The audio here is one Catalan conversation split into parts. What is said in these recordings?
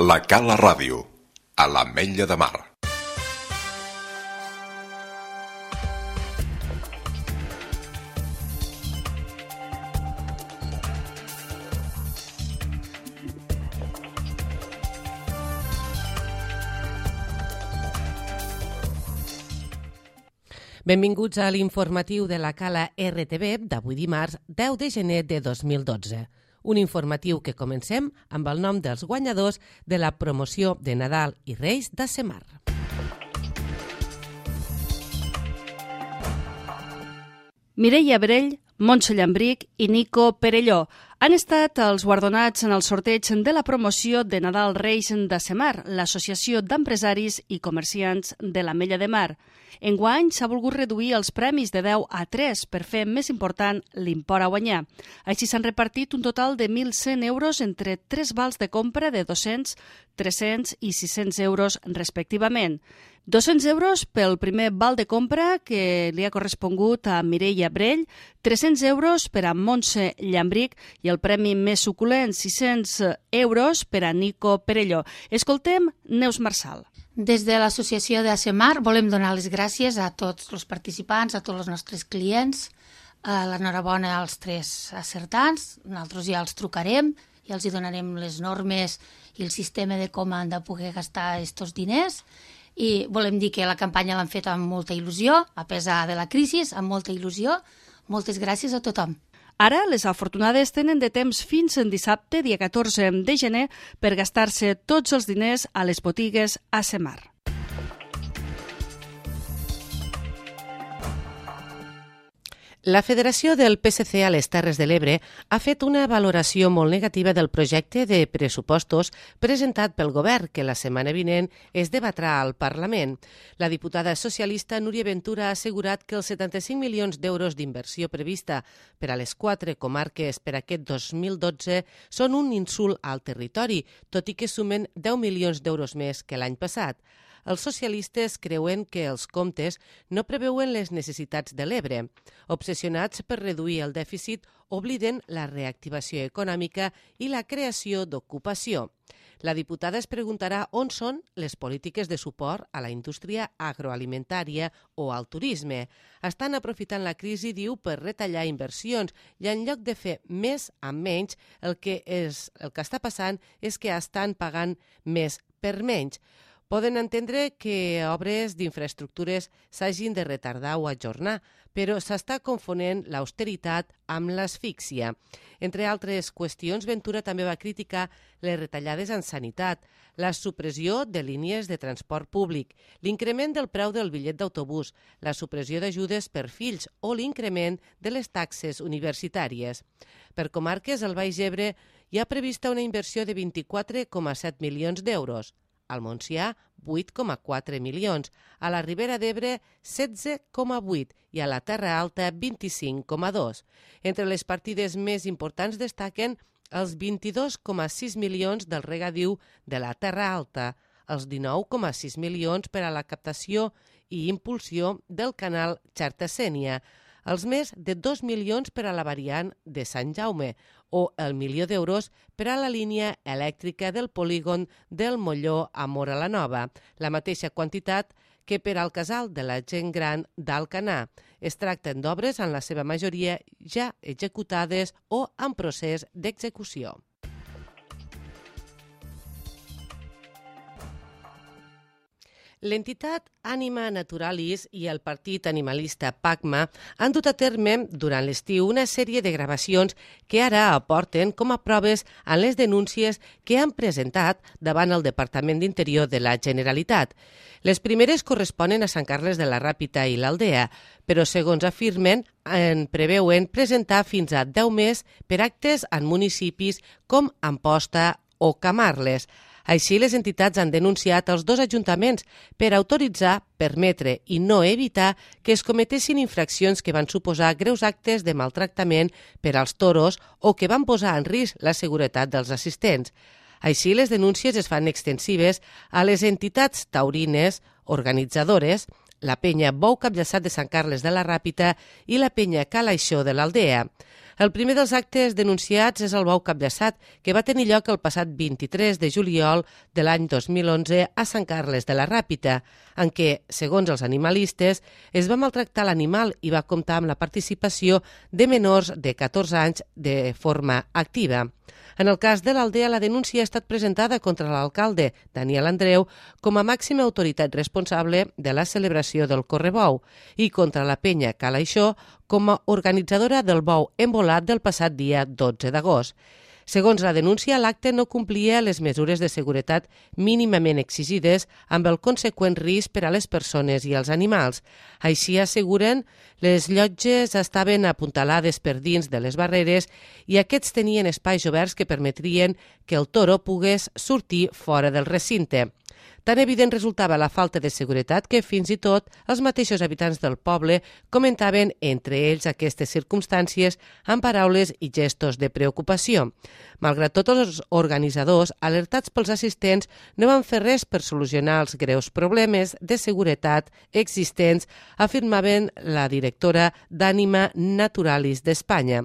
La Cala Ràdio, a l'Ametlla de Mar. Benvinguts a l'informatiu de la Cala RTV d'avui dimarts 10 de gener de 2012. Un informatiu que comencem amb el nom dels guanyadors de la promoció de Nadal i Reis d'ASEMAR. Mireia Brell, Montse Llambric i Nico Perelló han estat els guardonats en el sorteig de la promoció de Nadal Reis d'ASEMAR, l'Associació d'Empresaris i Comerciants de l'Ametlla de Mar. Enguany s'ha volgut reduir els premis de 10 a 3 per fer més important l'import a guanyar. Així s'han repartit un total de 1.100 euros entre 3 vals de compra de 200, 300 i 600 euros respectivament. 200 euros pel primer val de compra que li ha correspongut a Mireia Brell, 300 euros per a Montse Llambric i el premi més suculent, 600 euros per a Nico Perelló. Escoltem Neus Marçal. Des de l'associació d'ASEMAR volem donar les gràcies a tots els participants, a tots els nostres clients, l'enhorabona als 3 acertants, nosaltres ja els trucarem i els donarem les normes i el sistema de com han de poder gastar aquests diners. I volem dir que la campanya l'han fet amb molta il·lusió, a pesar de la crisi, amb molta il·lusió. Moltes gràcies a tothom. Ara, les afortunades tenen de temps fins en dissabte, dia 14 de gener, per gastar-se tots els diners a les botigues ASEMAR. La Federació del PSC a les Terres de l'Ebre ha fet una valoració molt negativa del projecte de pressupostos presentat pel govern, que la setmana vinent es debatrà al Parlament. La diputada socialista Núria Ventura ha assegurat que els 75 milions d'euros d'inversió prevista per a les 4 comarques per aquest 2012 són un insult al territori, tot i que sumen 10 milions d'euros més que l'any passat. Els socialistes creuen que els comptes no preveuen les necessitats de l'Ebre. Obsessionats per reduir el dèficit, obliden la reactivació econòmica i la creació d'ocupació. La diputada es preguntarà on són les polítiques de suport a la indústria agroalimentària o al turisme. Estan aprofitant la crisi, diu, per retallar inversions i en lloc de fer més amb menys, el que està passant és que estan pagant més per menys. Poden entendre que obres d'infraestructures s'hagin de retardar o ajornar, però s'està confonent l'austeritat amb l'asfíxia. Entre altres qüestions, Ventura també va criticar les retallades en sanitat, la supressió de línies de transport públic, l'increment del preu del bitllet d'autobús, la supressió d'ajudes per fills o l'increment de les taxes universitàries. Per comarques, al Baix Ebre hi ha prevista una inversió de 24,7 milions d'euros. Al Montsià, 8,4 milions, a la Ribera d'Ebre, 16,8 i a la Terra Alta, 25,2. Entre les partides més importants destaquen els 22,6 milions del regadiu de la Terra Alta, els 19,6 milions per a la captació i impulsió del canal Xarta-Sénia, els més de 2 milions per a la variant de Sant Jaume o el milió d'euros per a la línia elèctrica del polígon del Molló a Móra la Nova, la mateixa quantitat que per al casal de la gent gran d'Alcanar. Es tracten d'obres en la seva majoria ja executades o en procés d'execució. L'entitat Anima Naturalis i el partit animalista PACMA han dut a terme durant l'estiu una sèrie de gravacions que ara aporten com a proves en les denúncies que han presentat davant el Departament d'Interior de la Generalitat. Les primeres corresponen a Sant Carles de la Ràpita i l'Aldea, però segons afirmen, en preveuen presentar fins a 10 més per actes en municipis com Amposta o Camarles. Així, les entitats han denunciat els 2 ajuntaments per autoritzar, permetre i no evitar que es cometessin infraccions que van suposar greus actes de maltractament per als toros o que van posar en risc la seguretat dels assistents. Així, les denúncies es fan extensives a les entitats taurines organitzadores, la penya Bou Capllaçat de Sant Carles de la Ràpita i la penya Calaixó de l'Aldea. El primer dels actes denunciats és el bou capllaçat, que va tenir lloc el passat 23 de juliol de l'any 2011 a Sant Carles de la Ràpita, en què, segons els animalistes, es va maltractar l'animal i va comptar amb la participació de menors de 14 anys de forma activa. En el cas de l'Aldea, la denúncia ha estat presentada contra l'alcalde, Daniel Andreu, com a màxima autoritat responsable de la celebració del Correbou i contra la penya Cala Ixó com a organitzadora del bou embolat del passat dia 12 d'agost. Segons la denúncia, l'acte no complia les mesures de seguretat mínimament exigides amb el conseqüent risc per a les persones i els animals. Així asseguren, les llotges estaven apuntalades per dins de les barreres i aquests tenien espais oberts que permetrien que el toro pogués sortir fora del recinte. Tan evident resultava la falta de seguretat que fins i tot els mateixos habitants del poble comentaven entre ells aquestes circumstàncies amb paraules i gestos de preocupació. Malgrat tot, els organitzadors, alertats pels assistents, no van fer res per solucionar els greus problemes de seguretat existents, afirmaven la directora d'Ànima Naturalis d'Espanya.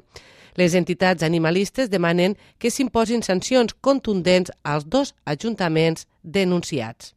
Les entitats animalistes demanen que s'imposin sancions contundents als dos ajuntaments denunciats.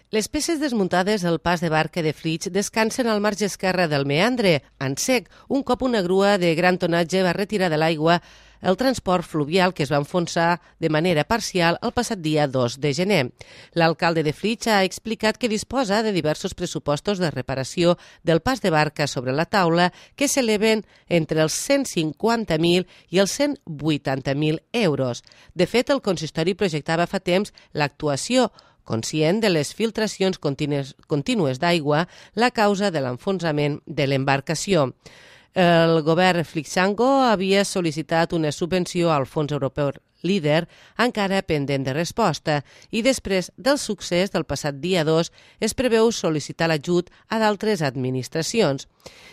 Les peces desmuntades del pas de barca de Flix descansen al marge esquerre del meandre, en sec, un cop una grua de gran tonatge va retirar de l'aigua el transport fluvial que es va enfonsar de manera parcial el passat dia 2 de gener. L'alcalde de Flix ha explicat que disposa de diversos pressupostos de reparació del pas de barca sobre la taula que s'eleven entre els 150.000 i els 180.000 euros. De fet, el consistori projectava fa temps l'actuació conscient de les filtracions contínues d'aigua, la causa de l'enfonsament de l'embarcació. El govern flixango havia sol·licitat una subvenció al Fons Europeu Líder, encara pendent de resposta, i després del succés del passat dia 2 es preveu sol·licitar l'ajut a d'altres administracions.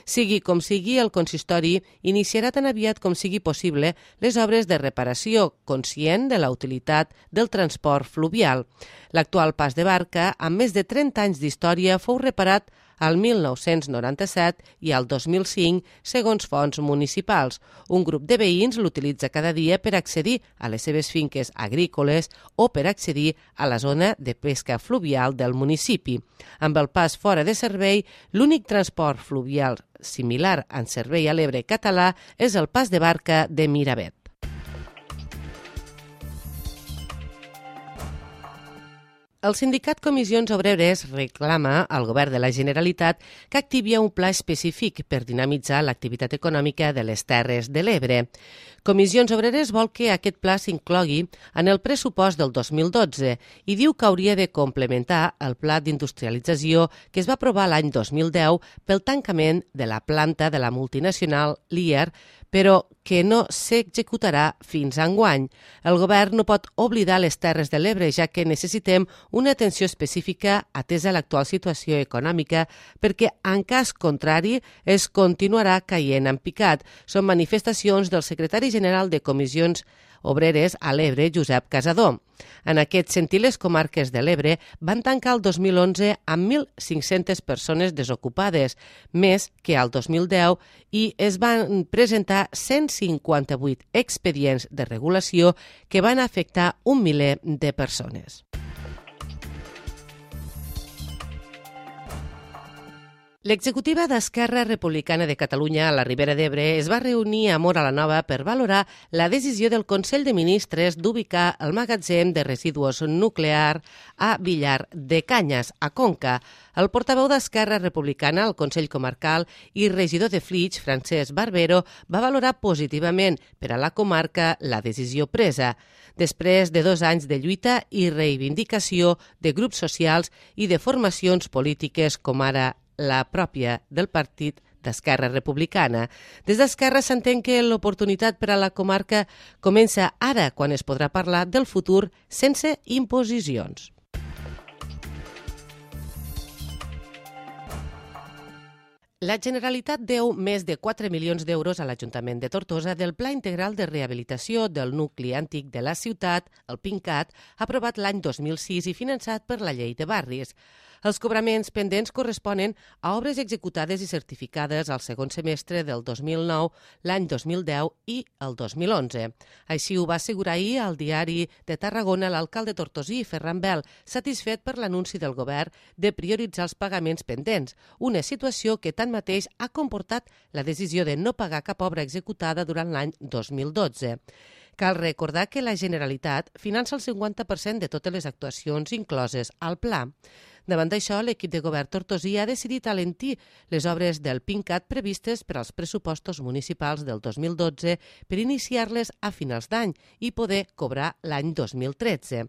Sigui com sigui, el consistori iniciarà tan aviat com sigui possible les obres de reparació, conscient de la utilitat del transport fluvial. L'actual pas de barca, amb més de 30 anys d'història, fou reparat al 1997 i al 2005, segons fonts municipals. Un grup de veïns l'utilitza cada dia per accedir a les seves finques agrícoles o per accedir a la zona de pesca fluvial del municipi. Amb el pas fora de servei, l'únic transport fluvial similar en servei a l'Ebre català és el pas de barca de Miravet. El sindicat Comissions Obreres reclama al govern de la Generalitat que activi un pla específic per dinamitzar l'activitat econòmica de les Terres de l'Ebre. Comissions Obreres vol que aquest pla s'inclogui en el pressupost del 2012 i diu que hauria de complementar el pla d'industrialització que es va aprovar l'any 2010 pel tancament de la planta de la multinacional Lear, però que no s'executarà fins a enguany. El govern no pot oblidar les Terres de l'Ebre, ja que necessitem una atenció específica atesa l'actual situació econòmica, perquè en cas contrari es continuarà caient en picat. Són manifestacions del secretari general de Comissions Obreres a l'Ebre, Josep Casador. En aquest sentit, les comarques de l'Ebre van tancar el 2011 amb 1.500 persones desocupades, més que al 2010, i es van presentar 158 expedients de regulació que van afectar 1 miler de persones. L'executiva d'Esquerra Republicana de Catalunya a la Ribera d'Ebre es va reunir a Móra la Nova per valorar la decisió del Consell de Ministres d'ubicar el magatzem de residus nuclear a Villar de Canyes, a Conca. El portaveu d'Esquerra Republicana al Consell Comarcal i regidor de Flix, Francesc Barbero, va valorar positivament per a la comarca la decisió presa. Després de 2 anys de lluita i reivindicació de grups socials i de formacions polítiques com ara la pròpia del Partit d'Esquerra Republicana. Des d'Esquerra s'entén que l'oportunitat per a la comarca comença ara, quan es podrà parlar del futur sense imposicions. La Generalitat deu més de 4 milions d'euros a l'Ajuntament de Tortosa del Pla Integral de Rehabilitació del Nucli Antic de la ciutat, el PINCAT, aprovat l'any 2006 i finançat per la Llei de Barris. Els cobraments pendents corresponen a obres executades i certificades al segon semestre del 2009, l'any 2010 i el 2011. Així ho va assegurar ahir al Diari de Tarragona l'alcalde tortosí, Ferran Bel, satisfet per l'anunci del govern de prioritzar els pagaments pendents, una situació que tanmateix ha comportat la decisió de no pagar cap obra executada durant l'any 2012. Cal recordar que la Generalitat finança el 50% de totes les actuacions incloses al pla. Davant d'això, l'equip de govern tortosí ha decidit alentir les obres del PINCAT previstes per als pressupostos municipals del 2012 per iniciar-les a finals d'any i poder cobrar l'any 2013.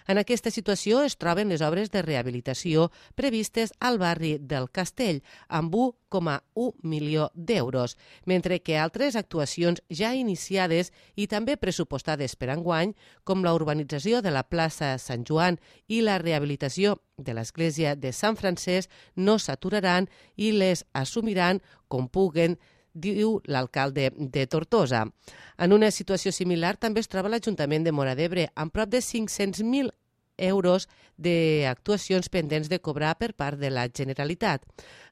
En aquesta situació es troben les obres de rehabilitació previstes al barri del Castell, amb 1,1 milió d'euros, mentre que altres actuacions ja iniciades i també pressupostades per enguany, com la urbanització de la plaça Sant Joan i la rehabilitació de l'església de Sant Francesc, no s'aturaran i les assumiran com puguen, diu l'alcalde de Tortosa. En una situació similar també es troba l'Ajuntament de Móra d'Ebre, amb prop de 500.000 euros d'actuacions pendents de cobrar per part de la Generalitat.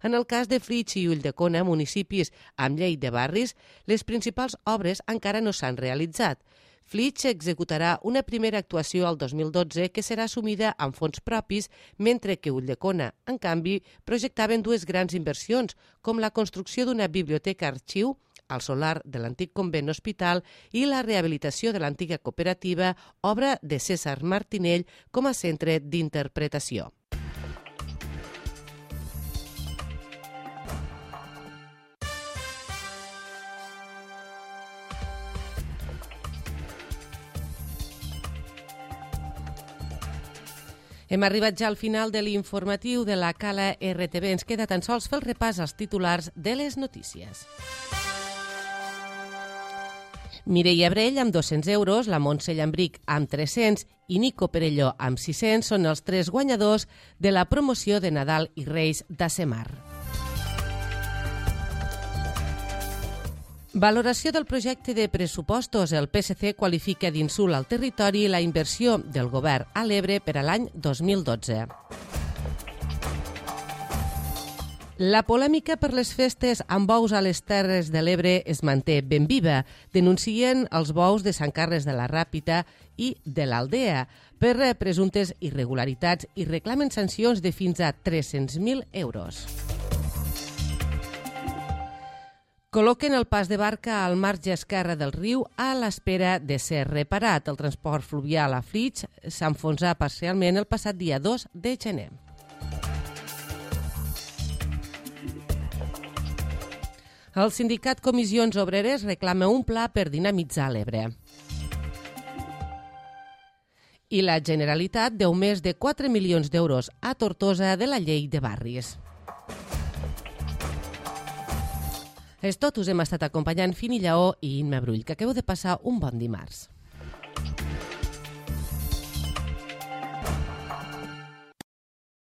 En el cas de Flix i Ulldecona, municipis amb llei de barris, les principals obres encara no s'han realitzat. Flix executarà una primera actuació al 2012 que serà assumida amb fons propis, mentre que Ulldecona, en canvi, projectaven dues grans inversions, com la construcció d'una biblioteca-arxiu al solar de l'antic convent hospital i la rehabilitació de l'antiga cooperativa, obra de César Martinell com a centre d'interpretació. Hem arribat ja al final de l'informatiu de la Cala RTV. Ens queda tan sols fer el repàs als titulars de les notícies. Mireia Brell amb 200 euros, la Montse Llambric amb 300 i Nico Perelló amb 600 són els 3 guanyadors de la promoció de Nadal i Reis d'Asemar. Valoració del projecte de pressupostos. El PSC qualifica d'insult al territori la inversió del govern a l'Ebre per a l'any 2012. La polèmica per les festes amb bous a les Terres de l'Ebre es manté ben viva. Denuncien els bous de Sant Carles de la Ràpita i de l'Aldea per presumptes irregularitats i reclamen sancions de fins a 300.000 euros. Col·loquen el pas de barca al marge esquerre del riu a l'espera de ser reparat. El transport fluvial a Flix s'enfonsà parcialment el passat dia 2 de gener. El sindicat Comissions Obreres reclama un pla per dinamitzar l'Ebre. I la Generalitat deu més de 4 milions d'euros a Tortosa de la llei de barris. És tot, us hem estat acompanyant Fini Lleó i Imma Brull, que acabeu de passar un bon dimarts.